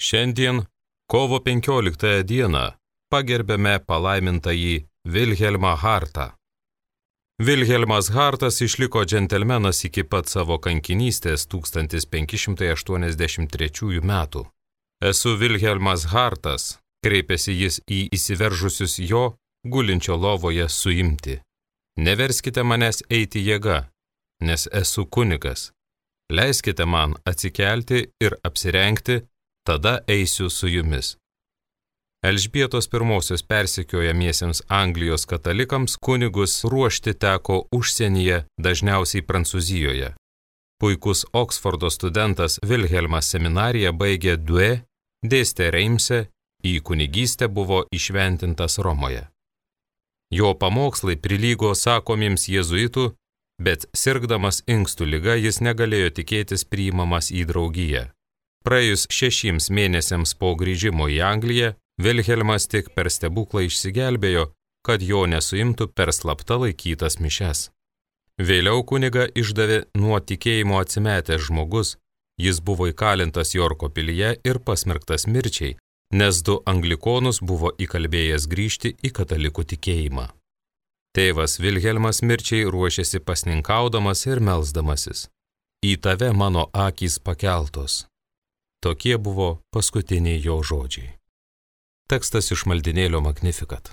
Šiandien, kovo 15 dieną, pagerbėme palaimintąjį Vilhelmą Hartą. Vilhelmas Hartas išliko džentelmenas iki pat savo kankinystės 1583 metų. Esu Vilhelmas Hartas, kreipėsi jis į įsiveržusius jo, gulinčio lovoje suimti. Neverskite manęs eiti jėga, nes esu kunigas. Leiskite man atsikelti ir apsirengti, tada eisiu su jumis. Elžbietos I persekiojamiesiems Anglijos katalikams kunigus ruošti teko užsienyje, dažniausiai Prancūzijoje. Puikus Oksfordo studentas Vilhelmas seminariją baigė Douai, dėstė Reimse, į kunigystę buvo įšventintas Romoje. Jo pamokslai prilygo sakomiems jėzuitų, bet sirgdamas inkstų liga jis negalėjo tikėtis priimamas į draugiją. Praėjus 6 mėnesiams po grįžimo į Angliją, Vilhelmas tik per stebuklą išsigelbėjo, kad jo nesuimtų per slapta laikytas mišes. Vėliau kunigą išdavė nuo tikėjimo atsimetęs žmogus, jis buvo įkalintas Jorko pilyje ir pasmerktas mirčiai, nes 2 anglikonus buvo įkalbėjęs grįžti į katalikų tikėjimą. Tėvas Vilhelmas mirčiai ruošėsi pasninkaudamas ir melsdamasis. Į tave mano akys pakeltos. Tokie buvo paskutiniai jo žodžiai. Tekstas iš maldinėlio Magnificat.